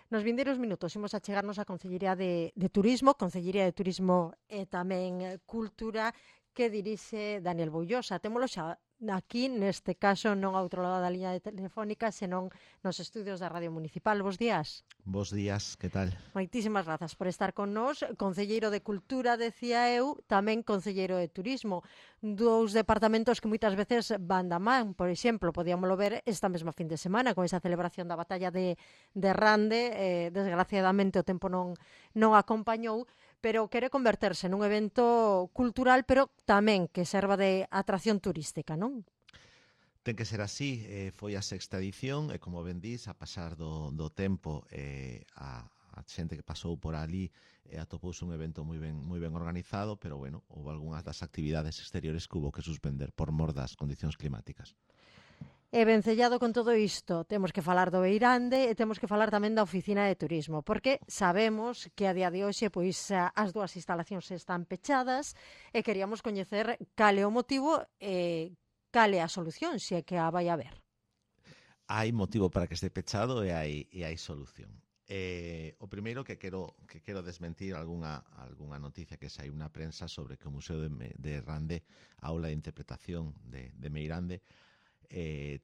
Nos vindeiros minutos imos a chegarnos á Concellería de Turismo, Concellería de Turismo e tamén Cultura, que dirixe Daniel Boullosa. Témolo xa aquí, neste caso, non ao outro lado da liña telefónica, senón nos estudios da Radio Municipal. Bos días. Bos días, que tal? Moitísimas grazas por estar con nós. Concelleiro de Cultura, decía eu, tamén Concelleiro de Turismo. Dous departamentos que moitas veces van da man. Por exemplo, podíamoslo ver esta mesma fin de semana con esa celebración da batalla de Rande. Desgraciadamente o tempo non acompañou, pero quere converterse nun evento cultural, pero tamén que serva de atracción turística, non? Ten que ser así, foi a sexta edición e como ben dís, a pasar do tempo a xente que pasou por ali atopouse un evento moi ben organizado, pero bueno, houve algunhas das actividades exteriores que hubo que suspender por mor das condicións climáticas. E vencellado con todo isto, temos que falar do Beirande e temos que falar tamén da Oficina de Turismo, porque sabemos que a día de hoxe pois as dúas instalacións están pechadas e queríamos coñecer cal é o motivo e cal é a solución, se é que a vai haber. Hai motivo para que este pechado e hai solución. O primeiro que quero desmentir algunha noticia que saiu na prensa sobre que o Museo de Rande, a aula de interpretación de Meirande,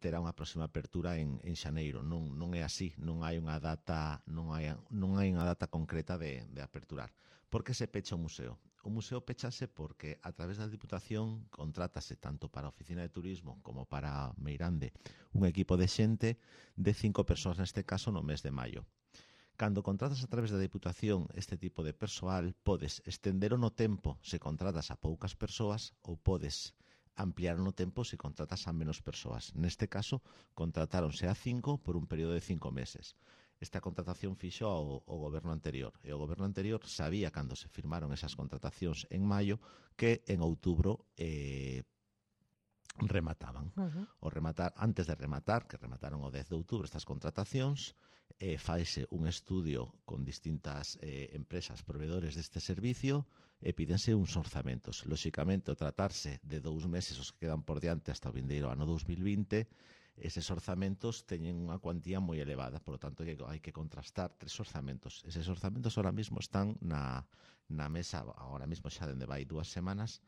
terá unha próxima apertura en xaneiro. Non é así, non hai unha data concreta de aperturar. Por que se pecha o museo? O museo pechase porque a través da Diputación contrátase tanto para a Oficina de Turismo como para Meirande un equipo de xente de 5 persoas neste caso no mes de maio. Cando contratas a través da Diputación este tipo de persoal, podes estendero no tempo se contratas a poucas persoas ou podes ampliar no tempo se contratas a menos persoas. Neste caso, contratáronse a 5 por un período de 5 meses. Esta contratación fixo o goberno anterior. E o goberno anterior sabía, cando se firmaron esas contratacións en maio, que en outubro remataban. Antes de rematar, que remataron o 10 de outubro estas contratacións, faise un estudio con distintas empresas proveedores deste servicio e pídense uns orzamentos. Lóxicamente, o tratarse de 2 meses os que quedan por diante hasta o vindeiro ano 2020, eses orzamentos teñen unha cuantía moi elevada, por lo tanto hai que contrastar 3 orzamentos. Eses orzamentos ahora mismo están na mesa, agora mismo xa dende vai 2 semanas,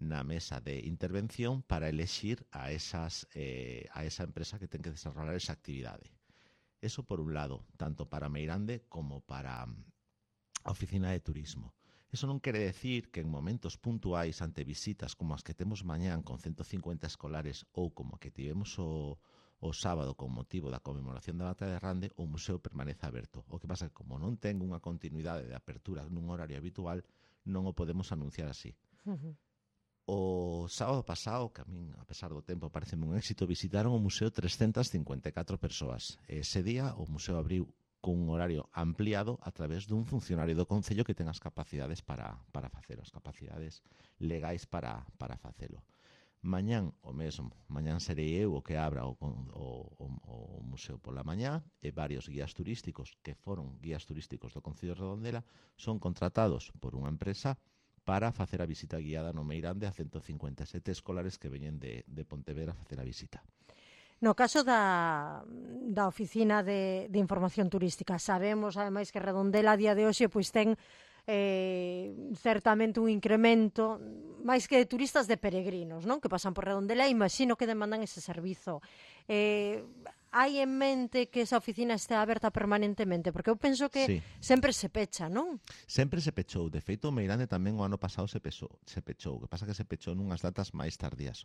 na mesa de intervención para elexir a esa empresa que ten que desarrollar esa actividade. Eso por un lado, tanto para Meirande como para a Oficina de Turismo. Eso non quere decir que en momentos puntuais ante visitas como as que temos mañán con 150 escolares ou como que tivemos o sábado con motivo da conmemoración da batalla de Rande, o museo permanece aberto. O que pasa é que como non ten unha continuidade de apertura nun horario habitual, non o podemos anunciar así. O sábado pasado, que a min, a pesar do tempo, pareceme un éxito, visitaron o museo 354 persoas. Ese día o museo abriu cun horario ampliado a través dun funcionario do Concello que ten as capacidades para facelo, as capacidades legais para facelo. Mañán o mesmo, mañán serei eu o que abra o museo pola mañá e varios guías turísticos que foron guías turísticos do Concello de Redondela son contratados por unha empresa para facer a visita guiada no Meirande a 157 escolares que veñen de Pontevedra a facer a visita. No caso da Oficina de Información Turística, sabemos, ademais, que Redondela a día de hoxe pois ten certamente un incremento máis que de turistas, de peregrinos, non? Que pasan por Redondela e imagino que demandan ese servizo. Hai en mente que esa oficina este aberta permanentemente? Porque eu penso que sempre se pecha, non? Sempre se pechou. De feito, o Meirande tamén o ano pasado se pechou. O que pasa que se pechou nunhas datas máis tardías.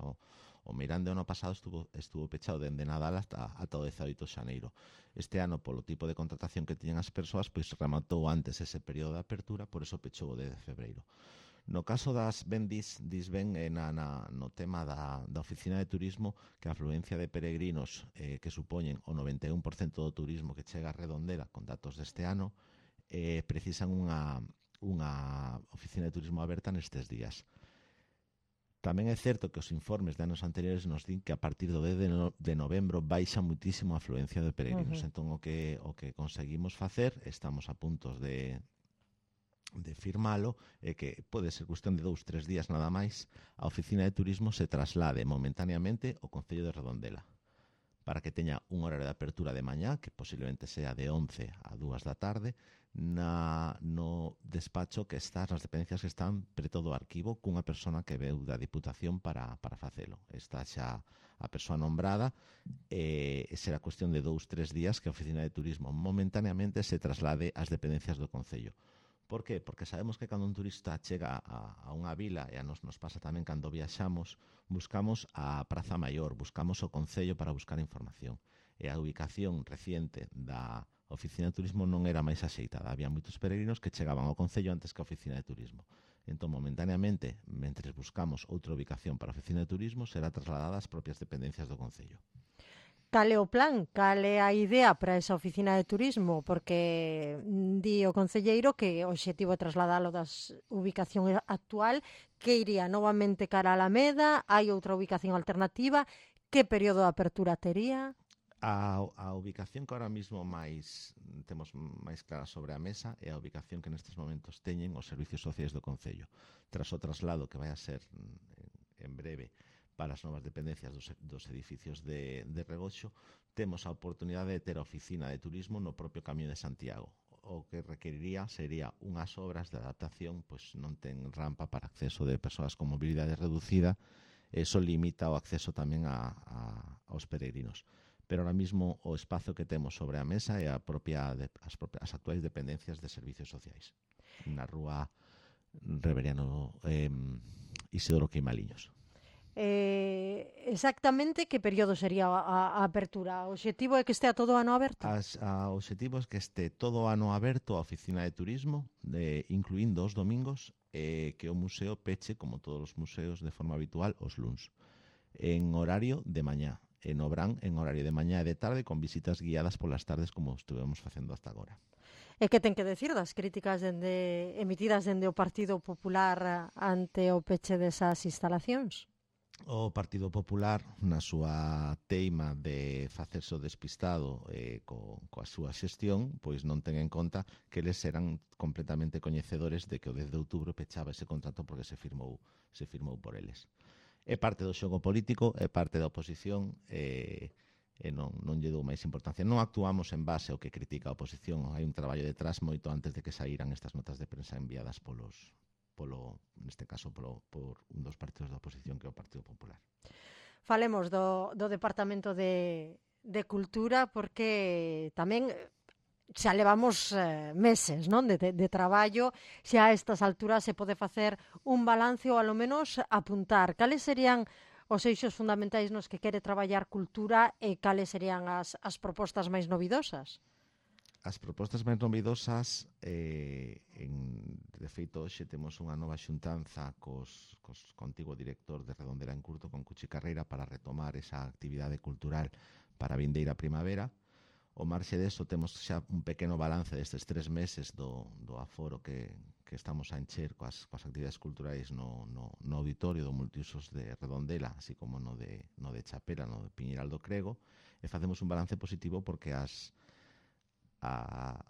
O Meirande o ano pasado estuvo pechado dende Nadal ata o 18 de xaneiro. Este ano, polo tipo de contratación que tiñan as persoas, pois rematou antes ese período de apertura, por eso pechou o 10 de febreiro. No caso das dis ben no tema da Oficina de Turismo, que a afluencia de peregrinos que supoñen o 91% do turismo que chega a Redondela con datos deste ano, precisan unha Oficina de Turismo aberta nestes días. Tamén é certo que os informes de anos anteriores nos din que a partir do 10 de novembro baixa muitísimo a afluencia de peregrinos. Entón, o que conseguimos facer, estamos a puntos de firmalo, é que pode ser cuestión de 2-3 días nada máis, a Oficina de Turismo se traslade momentaneamente ao Concello de Redondela para que teña un horario de apertura de mañá, que posiblemente sea de 11 a 2 da tarde, no despacho que está, nas dependencias que están preto do arquivo, cunha persona que veu da Diputación para facelo. Está xa a persoa nombrada, será cuestión de 2-3 días que a Oficina de Turismo momentaneamente se traslade ás dependencias do Concello. Por qué? Porque sabemos que cando un turista chega a unha vila, e a nos pasa tamén cando viaxamos, buscamos a Praza Maior, buscamos o Concello para buscar información. E a ubicación reciente da Oficina de Turismo non era máis axeitada. Había moitos peregrinos que chegaban ao Concello antes que a Oficina de Turismo. Entón, momentaneamente, mentre buscamos outra ubicación para a Oficina de Turismo, será trasladada ás propias dependencias do Concello. Cal é o plan? Cal é a idea para esa oficina de turismo? Porque di o concelleiro que o obxectivo é trasladalo das ubicación actual, que iría novamente cara a Alameda, hai outra ubicación alternativa, que período de apertura tería? A ubicación que ahora mismo temos máis clara sobre a mesa é a ubicación que nestes momentos teñen os servicios sociais do Concello. Tras o traslado que vai a ser en breve para as novas dependencias dos edificios de Regoxo, temos a oportunidade de ter a oficina de turismo no propio Camiño de Santiago. O que requeriría sería unhas obras de adaptación, pois non ten rampa para acceso de persoas con mobilidade reducida, eso limita o acceso tamén aos peregrinos. Pero ahora mismo o espazo que temos sobre a mesa é as actuais dependencias de servicios sociais, na rúa Reveriano Isidoro Queimaliños. Exactamente que período sería a apertura? O obxectivo é que estea todo o ano aberto? O obxectivo é que este todo o ano aberto a oficina de turismo, incluindo os domingos, que o museo peche, como todos os museos, de forma habitual, os luns, en horario de mañá, en Obrán en horario de mañá e de tarde, con visitas guiadas polas tardes como estuvemos facendo hasta agora. E que ten que decir das críticas emitidas dende o Partido Popular ante o peche desas instalacións? O Partido Popular, na súa teima de facerse o despistado coa súa xestión, pois non ten en conta que eles eran completamente coñecedores de que o 10 de outubro pechaba ese contrato porque se firmou por eles. É parte do xogo político, é parte da oposición, e non lle dou máis importancia. Non actuamos en base ao que critica a oposición. Hai un traballo detrás moito antes de que saíran estas notas de prensa enviadas neste caso por un dos partidos da oposición, que é o Partido Popular. Falemos do Departamento de Cultura, porque tamén xa levamos meses, non, de traballo, xa a estas alturas se pode facer un balance ou, ao menos, apuntar. Cales serían os eixos fundamentais nos que quere traballar cultura e cales serían as propostas máis novidosas? As propostas máis novidosas, de feito, hoxe temos unha nova xuntanza co antigo director de Redondela en Curto, con Cuchi Carreira, para retomar esa actividade cultural para a vindeira primavera. O marxe deso temos xa un pequeno balance destes 3 meses do aforo que estamos a encher coas actividades culturais no auditorio do multiusos de Redondela, así como no de Chapela, no de Piñeral do Crego, e facemos un balance positivo porque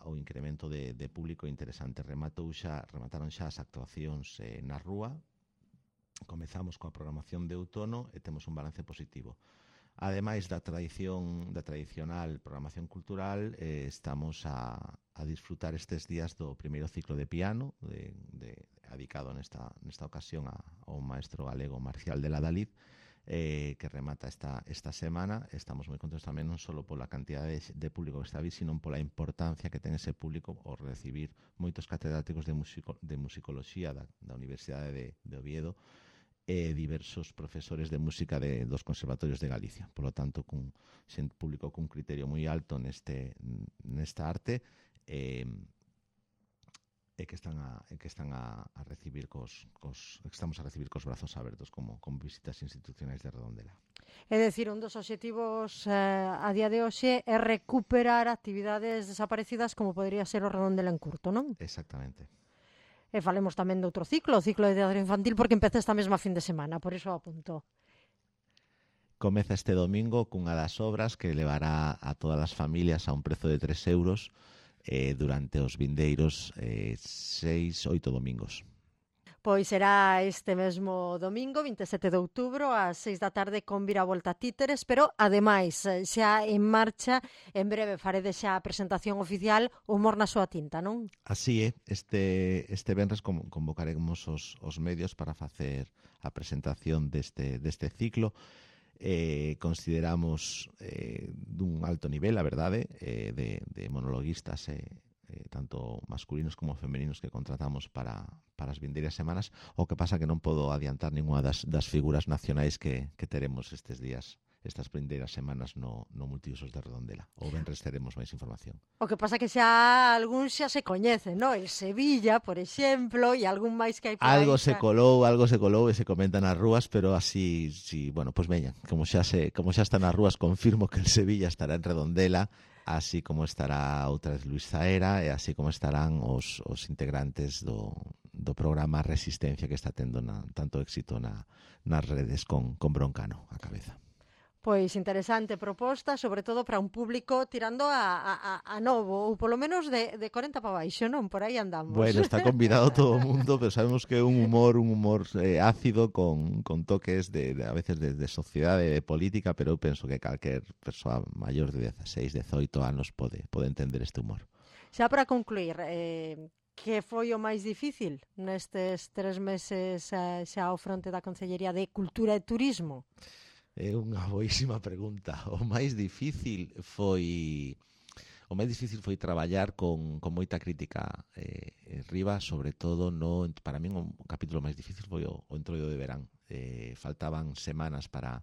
o incremento de público interesante. Remataron xa as actuacións na rúa, comezamos coa programación de outono e temos un balance positivo. Ademais da tradicional programación cultural, estamos a disfrutar estes días do primeiro ciclo de piano, dedicado nesta ocasión ao maestro galego Marcial de la Dalid, que remata esta semana. Estamos moi contentos tamén non só pola cantidade de público que está aí, sino pola importancia que ten ese público ao recibir moitos catedráticos de musicoloxía da Universidade de Oviedo e diversos profesores de música dos conservatorios de Galicia. Por lo tanto, público cun criterio moi alto nesta arte, que están a recibir estamos a recibir cos brazos abertos como visitas institucionais de Redondela. É dicir, un dos obxectivos a día de hoxe é recuperar actividades desaparecidas como podría ser o Redondela en Curto, non? Exactamente. E falemos tamén de outro ciclo, o ciclo de teatro infantil, porque empeza esta mesma fin de semana, por iso apunto. Comeza este domingo cunha das obras que levará a todas as familias a un prezo de 3 euros durante os vindeiros 6-8 domingos. Pois será este mesmo domingo, 27 de outubro, ás 6 da tarde con Viravolta Títeres, pero ademais xa en marcha, en breve faredes xa a presentación oficial Humor na súa tinta, non? Así é, este venres convocaremos os medios para facer a presentación deste ciclo. Consideramos dun alto nivel, a verdade, de monologuistas tanto masculinos como femeninos que contratamos para as vindeiras semanas. O que pasa que non podo adiantar ninguna das figuras nacionais que teremos estes días, estas vindeiras semanas no Multiusos de Redondela. O venres teremos máis información. O que pasa que xa algún xa se coñece, no? El Sevilla, por exemplo, e algún máis que hai por aí. Algo se colou e se comenta nas rúas, pero así, sí, bueno, pois veña, como xa está nas rúas, confirmo que el Sevilla estará en Redondela, así como estará outra vez Luis Zaera e así como estarán os integrantes do programa Resistencia, que está tendo tanto éxito nas redes con Broncano a cabeza. Pois interesante proposta, sobre todo para un público tirando a novo, ou polo menos de 40 para baixo, non? Por aí andamos. Bueno, está convidado todo o mundo, pero sabemos que é un humor ácido con toques a veces de sociedade, de política, pero eu penso que calquer persoa maior de 16, 18 anos pode entender este humor. Xa para concluir, que foi o máis difícil nestes 3 meses xa ao fronte da Consellería de Cultura e Turismo? É unha boísima pregunta. O máis difícil foi traballar con moita crítica riba, sobre todo para min o capítulo máis difícil foi o Entroido de Verán. Faltaban semanas para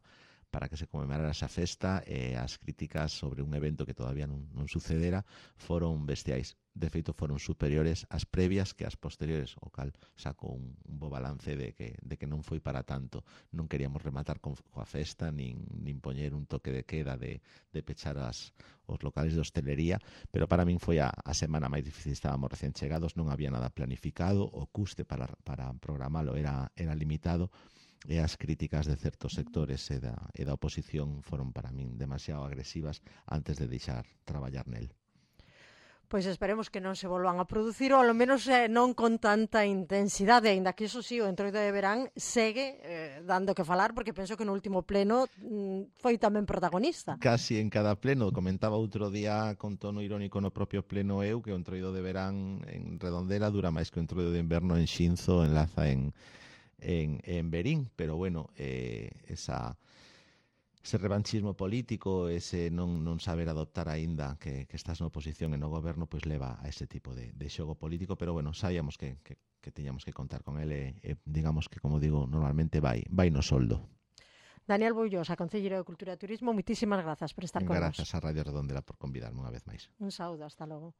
que se conmemorara esa festa e as críticas sobre un evento que todavía non sucedera foron bestiais. De feito, foron superiores ás previas que ás posteriores, o cal saco un bo balance de que non foi para tanto. Non queríamos rematar coa festa, nin poñer un toque de queda de pechar os locales de hostelería, pero para min foi a semana máis difícil. Estábamos recén chegados, non había nada planificado, o custe para programalo era limitado, e as críticas de certos sectores e da oposición foron para min demasiado agresivas antes de deixar traballar nel. Pois esperemos que non se volvan a producir, ou ao menos non con tanta intensidade, aínda que iso sí, o Entroido de Verán segue dando que falar, porque penso que no último pleno foi tamén protagonista. Casi en cada pleno, comentaba outro día con tono irónico no propio pleno que o Entroido de Verán en Redondela dura máis que o Entroido de Inverno en Xinzo, en Laza, en Verín, pero bueno, ese revanchismo político, ese non saber adoptar aínda que estás na oposición e no goberno, pois leva a ese tipo de xogo político, pero bueno, sabíamos que tiñamos que contar con ele e digamos que, como digo, normalmente vai no soldo. Daniel Boullosa, Concelleiro de Cultura e Turismo, moitísimas grazas por estar con nós. Grazas a Radio Redondela por convidarme unha vez máis. Un saúdo, hasta logo.